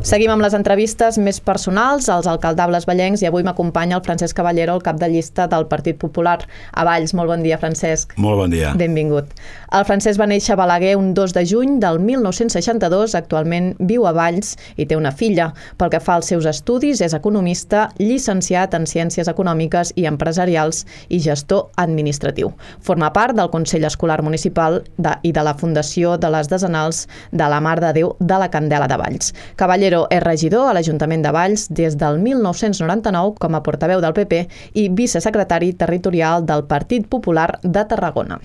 Seguim amb les entrevistes més personals als alcaldables vallencs i avui m'acompanya el Francesc Caballero, el cap de llista del Partit Popular a Valls. Molt bon dia, Francesc. Molt bon dia. Benvingut. El Francesc va néixer a Balaguer un 2 de juny del 1962, actualment viu a Valls i té una filla. Pel que fa als seus estudis, és economista, llicenciat en Ciències Econòmiques i Empresarials i gestor administratiu. Forma part del Consell Escolar Municipal i de la Fundació de les Desenals de la Mare de Déu de la Candela de Valls. Caballero és regidor a l'Ajuntament de Valls des del 1999 com a portaveu del PP i vicesecretari territorial del Partit Popular de Tarragona.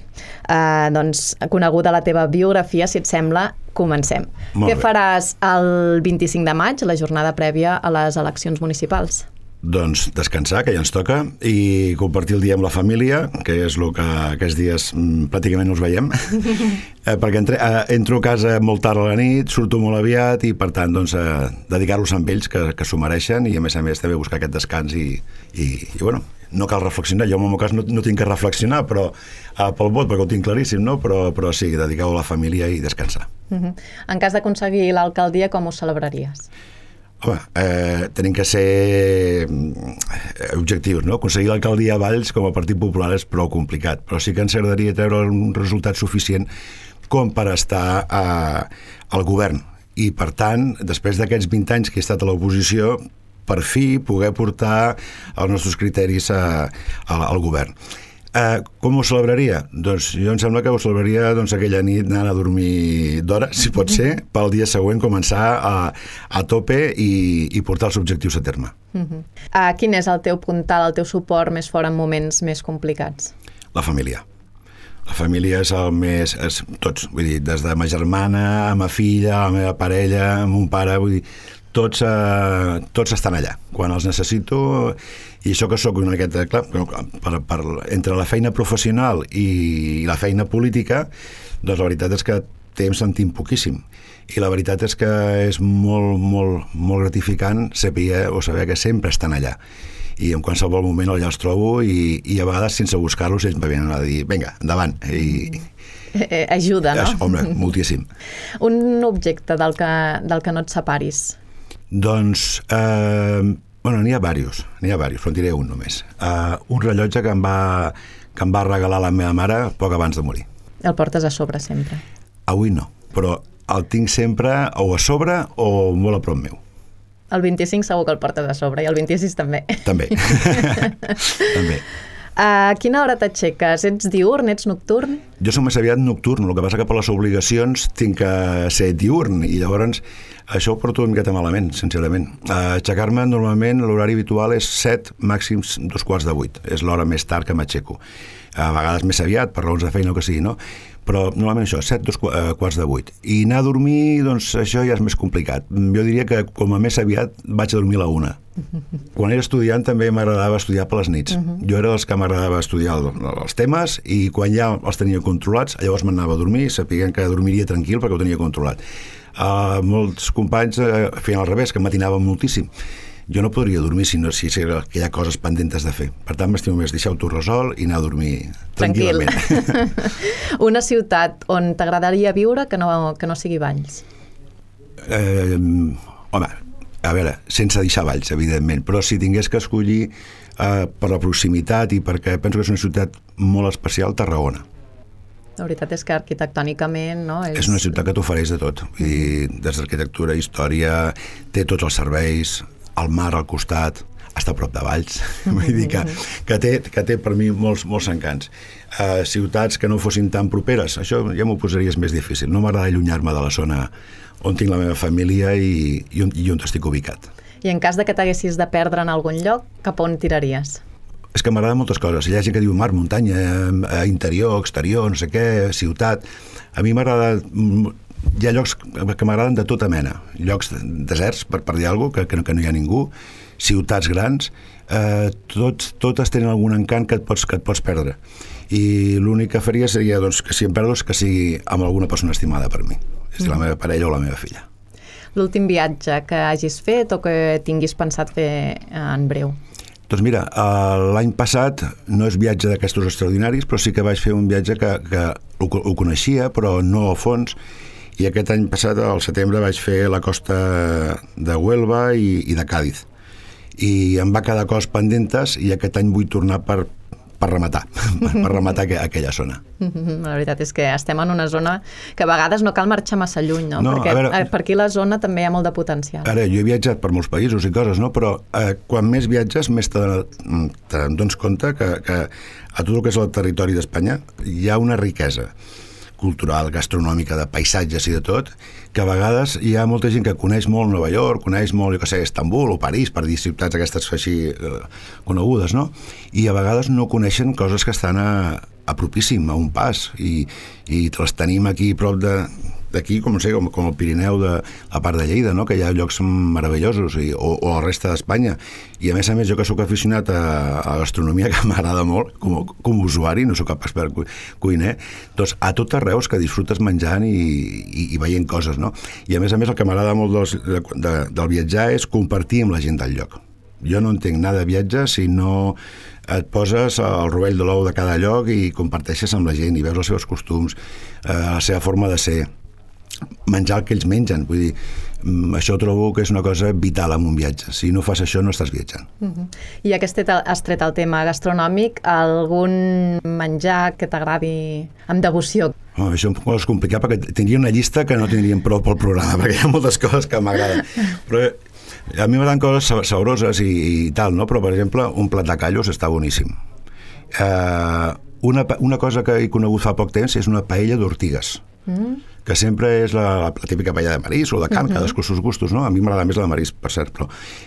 Doncs, coneguda la teva biografia, si et sembla, comencem. Què faràs el 25 de maig, la jornada prèvia a les eleccions municipals? Doncs descansar, que ja ens toca, i compartir el dia amb la família, que és el que aquests dies pràcticament no els veiem, perquè entro a casa molt tard a la nit, surto molt aviat i, per tant, doncs, dedicar-los a ells, que s'ho mereixen, i a més també buscar aquest descans i bueno, no cal reflexionar. Jo, en el meu cas, no tinc que reflexionar però pel vot, perquè ho tinc claríssim, no? Però sí, dedicar-ho a la família i descansar. En cas d'aconseguir l'alcaldia, com ho celebraries? Home, tenim que ser objectius, no? Aconseguir l'alcaldia a Valls com a Partit Popular és prou complicat, però sí que ens agradaria treure un resultat suficient com per estar al govern. I, per tant, després d'aquests 20 anys que he estat a l'oposició, per fi poder portar els nostres criteris al govern. Com ho celebraria? Doncs jo em sembla que ho celebraria aquella nit anant a dormir d'hora, si pot ser, pel dia següent començar a tope i portar els objectius a terme. Quin és el teu puntal, el teu suport més fort en moments més complicats? La família. La família és el més... tots, vull dir, des de ma germana, a ma filla, a la meva parella, a mon pare, vull dir, tots estan allà. Quan els necessito, i això que sóc una miqueta, clar, entre la feina professional i la feina política, doncs la veritat és que temps en tinc poquíssim. I la veritat és que és molt, molt, molt gratificant saber que sempre estan allà. I en qualsevol moment allà els trobo i a vegades, sense buscar-los, ells me venen a dir, vinga, endavant. Ajuda, no? Home, moltíssim. Un objecte del que no et separis? Doncs, n'hi ha diversos, però en diré un només. Un rellotge que em va regalar la meva mare poc abans de morir. El portes a sobre sempre? Avui no, però el tinc sempre o a sobre o molt a prop meu. El 25 segur que el portes a sobre i el 26 també. També. També. A quina hora t'aixeques? Ets diürn, ets nocturn? Jo soc més aviat nocturn, el que passa que per les obligacions tinc que ser diürn i llavors això ho porto una miqueta malament, sincerament. Aixecar-me normalment l'horari habitual és 7, màxims 7:45. És l'hora més tard que m'aixeco. A vegades més aviat, per raons de feina o que sigui, no? Però normalment això, 7, 7:45. I anar a dormir, doncs això ja és més complicat. Jo diria que com a més aviat vaig a dormir a la 1. Quan era estudiant també m'agradava estudiar per les nits. Jo era dels que m'agradava estudiar els temes i quan ja els tenia controlats, llavors m'anava a dormir, sapiguent que dormiria tranquil perquè ho tenia controlat. Molts companys feien al revés, que matinaven moltíssim. Jo no podria dormir si hi ha coses pendents de fer. Per tant, m'estimo més deixar-ho resolt i anar a dormir tranquil·lament. Una ciutat on t'agradaria viure que no sigui Valls? Home, a veure, sense deixar Valls, evidentment, però si tingués que escollir per la proximitat i perquè penso que és una ciutat molt especial, Tarragona. La veritat és que arquitectònicament, no? És una ciutat que t'ofereix de tot. Des d'arquitectura, història, té tots els serveis, el mar al costat, està a prop de Valls. Vull dir que té per mi molts encants. Ciutats que no fossin tan properes, això ja m'ho posaries més difícil. No m'agrada allunyar-me de la zona on tinc la meva família i on estic ubicat. I en cas de que t'haguessis de perdre en algun lloc, cap on tiraries? És que m'agraden moltes coses. Hi ha gent que diu mar, muntanya, interior, exterior, no sé què, ciutat. A mi m'agrada... Hi ha llocs que m'agraden de tota mena. Llocs deserts, per dir alguna cosa, que no hi ha ningú, ciutats grans, totes tenen algun encant que et pots perdre. I l'únic que faria seria que si em perdo que sigui amb alguna persona estimada per mi. És la meva parella o la meva filla. L'últim viatge que hagis fet o que tinguis pensat fer en breu? Doncs mira, l'any passat no és viatge d'aquestos extraordinaris, però sí que vaig fer un viatge que ho coneixia, però no a fons, I aquest any passat, al setembre, vaig fer la costa de Huelva i de Càdiz. I em va quedar coses pendentes i aquest any vull tornar per rematar, per rematar aquella zona. La veritat és que estem en una zona que a vegades no cal marxar massa lluny, no? Perquè per aquí la zona també hi ha molt de potencial. Ara, jo he viatjat per molts països i coses, no? Però quan més viatges, més te dones compte que a tot el que és el territori d'Espanya hi ha una riquesa cultural, gastronòmica, de paisatges i de tot, que a vegades hi ha molta gent que coneix molt Nova York, coneix molt, jo què sé, Istanbul o París, per dir ciutats aquestes així conegudes, no? I a vegades no coneixen coses que estan a propíssim, a un pas, i les tenim aquí prop d'aquí, com el Pirineu de la part de Lleida, no? Que hi ha llocs meravellosos, o la resta d'Espanya. I a més, jo que sóc aficionat a la gastronomia, que m'agrada molt, com usuari, no sóc capaç per cuiner, doncs a tot arreu que disfrutes menjant i veient coses, no? I a més, el que m'agrada molt del viatjar és compartir amb la gent del lloc. Jo no entenc nada de viatge si no et poses al rovell de l'ou de cada lloc i comparteixes amb la gent i veus els seus costums, la seva forma de ser, menjar el que ells mengen. Vull dir, això trobo que és una cosa vital en un viatge. Si no fas això, no estàs viatjant. I ja que has tret el tema gastronòmic, algun menjar que t'agradi amb devoció? Això és complicat perquè tindria una llista que no tindríem prou pel programa, perquè hi ha moltes coses que m'agraden. Però a mi m'agraden coses sabroses i tal, no? Però, per exemple, un plat de callos està boníssim. Una cosa que he conegut fa poc temps és una paella d'ortigues, que sempre és la típica paella de marisc o de carn, cadascú els seus gustos, no? A mi m'agrada més la de marisc, per cert, però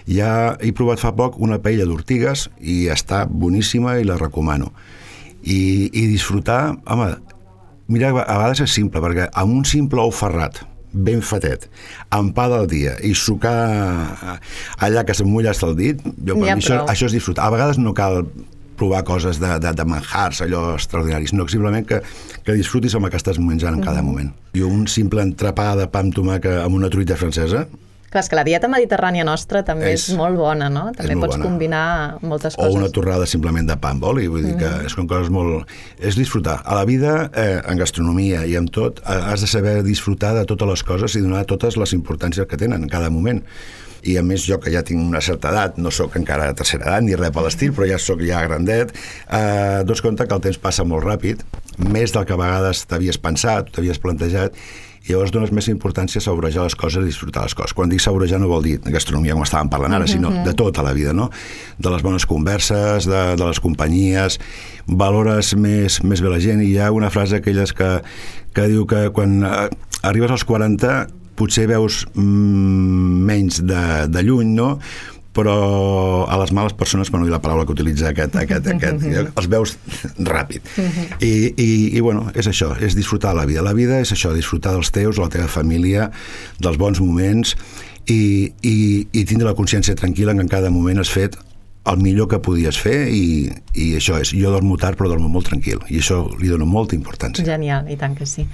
ja he provat fa poc una paella d'ortigues i està boníssima i la recomano. I disfrutar, home, mira, a vegades és simple, perquè amb un simple ou ferrat, ben fatet, amb pa del dia i sucar allà que s'emmulla hasta el dit, per mi això és disfrutar. A vegades no cal provar coses de manjars, allò extraordinaris, no, simplement que disfrutis amb el que estàs menjant en cada moment. I un simple entrepà de pa amb tomàquet amb una truita francesa. Clar, és que la dieta mediterrània nostra també és molt bona, no? També pots combinar moltes coses. O una torrada simplement de pa amb oli, vull dir que són coses molt... És disfrutar. A la vida, en gastronomia i en tot, has de saber disfrutar de totes les coses i donar totes les importàncies que tenen en cada moment. I a més jo que ja tinc una certa edat, no sóc encara de tercera edat ni res per l'estil, però ja sóc ja grandet, dones compte que el temps passa molt ràpid, més del que a vegades t'havies pensat, t'havies plantejat, i llavors dones més importància a saborejar les coses i disfrutar les coses. Quan dic saborejar no vol dir gastronomia com estàvem parlant ara, sinó de tota la vida, no? De les bones converses, de les companyies, valores més bé la gent, i hi ha una frase aquelles que diu que quan arribes als 40 potser veus menys de lluny, no? Però a les males persones, per no dir la paraula que utilitza aquest els veus ràpid. I bueno, és això, és disfrutar la vida. La vida és això, disfrutar dels teus, de la teva família, dels bons moments i tindre la consciència tranquil·la que en cada moment has fet el millor que podies fer i això és, jo dormo tard però dormo molt tranquil i això li dono molta importància. Genial, i tant que sí.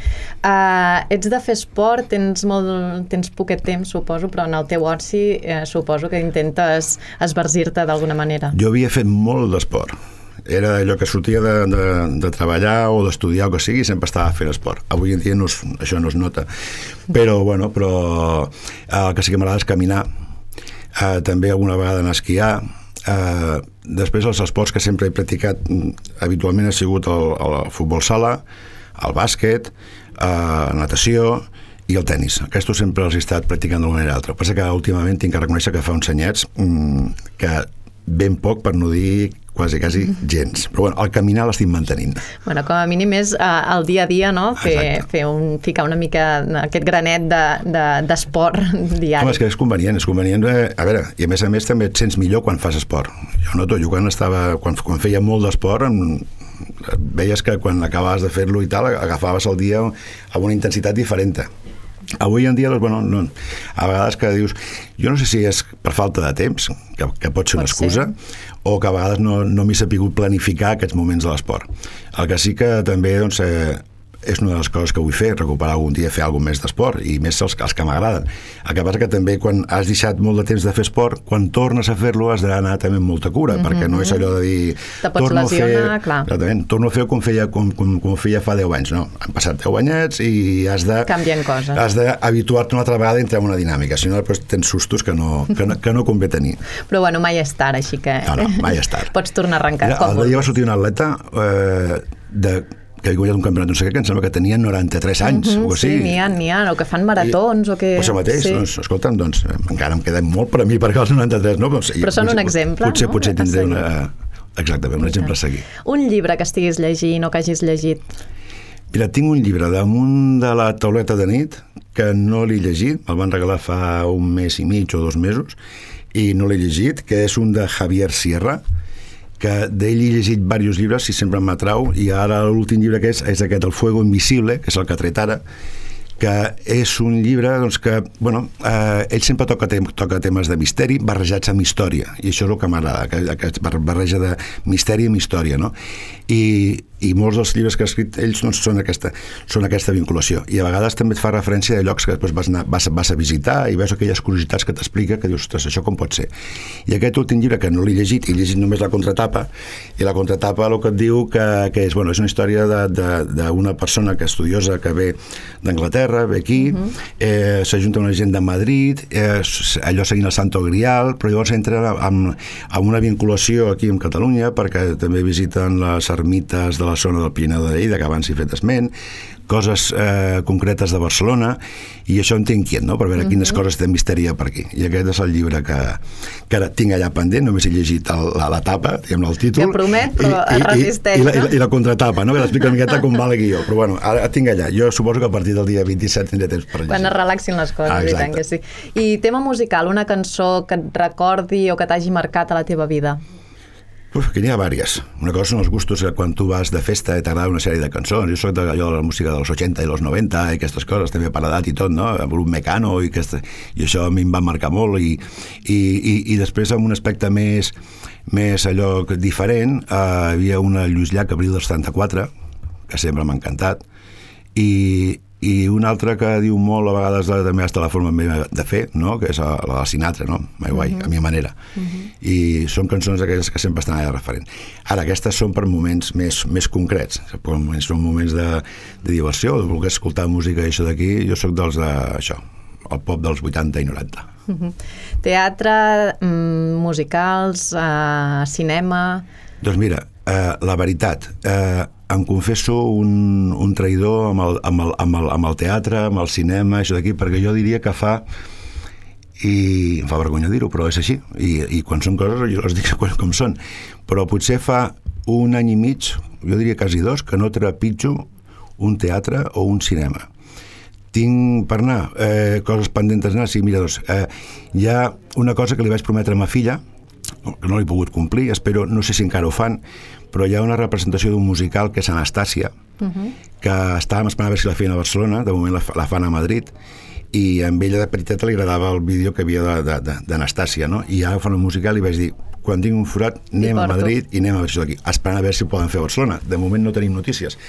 Ets de fer esport, tens poquet temps, suposo, però en el teu oci suposo que intentes esbargir-te d'alguna manera. Jo havia fet molt d'esport. Era allò que sortia de treballar o d'estudiar o que sigui, sempre estava fent esport. Avui en dia això no es nota. Però el que sí que m'agrada és caminar, també alguna vegada anar a esquiar. Després els esports que sempre he practicat habitualment ha sigut el futbol sala, el bàsquet, natació i el tennis. Aquests sempre els he estat practicant d'una manera o altra. El que passa que últimament tinc que reconèixer que fa uns anyets que ben poc, per no dir quasi gens. Però bueno, el caminar l'estic mantenint. Bueno, com a mínim és el dia a dia, no? Ficar una mica aquest granet d'esport diari. Home, és que és convenient. A veure, i a més també et sents millor quan fas esport. Jo noto, quan feia molt d'esport, veies que quan acabaves de fer-lo i tal, agafaves el dia amb una intensitat diferent. Avui en dia, no, a vegades que dius, jo no sé si és per falta de temps, que pot ser una excusa, o que a vegades no m'he sapigut planificar aquests moments de l'esport. El que sí que també és una de les coses que vull fer, recuperar algun dia, fer alguna més d'esport, i més els que m'agraden. El que passa que també quan has deixat molt de temps de fer esport, quan tornes a fer-lo has d'anar també amb molta cura, perquè no és allò de dir... Te pots lesionar, clar. Torno a fer com feia fa 10 anys, no? Han passat 10 anyets i has de... Canvien coses. Has d'habituar-te una altra vegada a entrar en una dinàmica, si no després tens sustos que no convé tenir. Però bueno, mai és tard, així que... No, mai és tard. Pots tornar a arrencar. El dia va sortir un atleta que havia guanyat un campionat, no sé què, que em sembla que tenia 93 anys, o sí, n'hi ha, o que fan maratons, o que... Això mateix, sí. Doncs, escolta'm, doncs, encara em queda molt per a mi, perquè els 93, no? Però són un exemple, no? Potser tindré exactament, un exemple a seguir. Un llibre que estiguis llegint o que hagis llegit? Mira, tinc un llibre damunt de la tauleta de nit que no l'he llegit, me'l van regalar fa un mes i mig o 2 mesos, i no l'he llegit, que és un de Javier Sierra, que d'ell he llegit diversos llibres i sempre m'atrau, i ara l'últim llibre que és aquest, El fuego invisible, que és el que ha tret ara, que és un llibre doncs, que, bueno, ell sempre toca temes de misteri barrejats amb història, i això és el que m'agrada, aquesta barreja de misteri amb història, no? I molts dels llibres que ha escrit ells doncs, són aquesta vinculació, i a vegades també et fa referència a llocs que després vas a visitar i veus aquelles curiositats que t'explica, que dius, ostres, això com pot ser? I aquest últim llibre, que no l'he llegit, he llegit només la contratapa, i la contratapa el que et diu que és, bueno, és una història d'una persona que estudiosa que ve d'Anglaterra, ve aquí, s'ajunta una gent de Madrid, allò seguint el Santo Grial, però llavors entra amb una vinculació aquí en Catalunya, perquè també visiten les ermites de la zona del Pirineu de Lleida, que abans he fet esment, coses concretes de Barcelona, i això em té inquiet, no?, per veure quines coses té misteri per aquí. I aquest és el llibre que ara tinc allà pendent, només he llegit la tapa, diguem-ne, el títol. Que promet, però es resisteix. I la contratapa, no?, que l'explica una miqueta com va el guió. Però bueno, ara tinc allà. Jo suposo que a partir del dia 27 tindré temps per llegir. Quan es relaxin les coses, i tant que sí. I tema musical, una cançó que et recordi o que t'hagi marcat a la teva vida? Que n'hi ha diverses. Una cosa són els gustos que quan tu vas de festa i t'agrada una sèrie de cançons. Jo soc de la música dels 80 i dels 90 i aquestes coses, també per edat i tot, no? Grup Mecano i això a mi em va marcar molt i després amb un aspecte més allò diferent hi havia una Lluís Llach, Abril del 74, que sempre m'ha encantat, i una altra que diu molt a vegades també hasta la forma meva de fer, no?, que és la de Sinatra, no?, My Way, a mi manera, i són cançons aquelles que sempre estan allà referent. Ara, aquestes són per moments més concrets, són moments de diversió, de voler escoltar música i això d'aquí. Jo soc dels això, el pop dels 80 i 90. Teatre, musicals, cinema... Doncs mira, la veritat, em confesso un traïdor amb el teatre, amb el cinema, això d'aquí, perquè jo diria que i em fa vergonya dir-ho, però és així, i quan són coses jo les dic com són, però potser fa un any i mig, jo diria quasi 2, que no trepitjo un teatre o un cinema. Tinc per anar coses pendents d'anar, sí, mira, hi ha una cosa que li vaig prometre a ma filla, que no l'he pogut complir, espero, no sé si encara ho fan, però hi ha una representació d'un musical que és Anastàcia, que estàvem esperant a veure si la feien a Barcelona, de moment la fan a Madrid, i a ella de petiteta li agradava el vídeo que havia d'Anastàcia, no? I ara fan un musical i vaig dir, quan tinc un forat anem a Madrid i anem a veure això d'aquí, esperant a veure si ho poden fer a Barcelona. De moment no tenim notícies,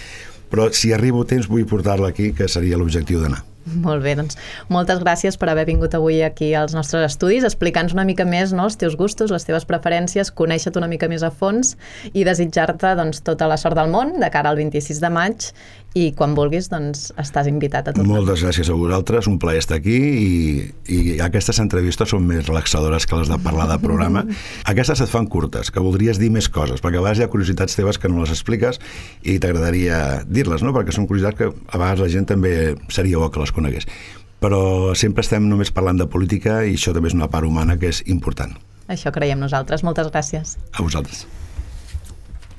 però si arribo a temps vull portar-la aquí, que seria l'objectiu d'anar. Molt bé, doncs moltes gràcies per haver vingut avui aquí als nostres estudis, explicant-nos una mica més, no, els teus gustos, les teves preferències, conèixer-te una mica més a fons i desitjar-te doncs, tota la sort del món de cara al 26 de maig, i quan vulguis doncs, estàs invitat a tot. Moltes gràcies a vosaltres, un plaer estar aquí, i aquestes entrevistes són més relaxadores que les de parlar de programa. Aquestes et fan curtes, que voldries dir més coses, perquè a vegades hi ha curiositats teves que no les expliques i t'agradaria dir-les, no? Perquè són curiositats que a vegades la gent també seria bo que les conegués. Però sempre estem només parlant de política i això també és una part humana que és important. Això creiem nosaltres. Moltes gràcies. A vosaltres.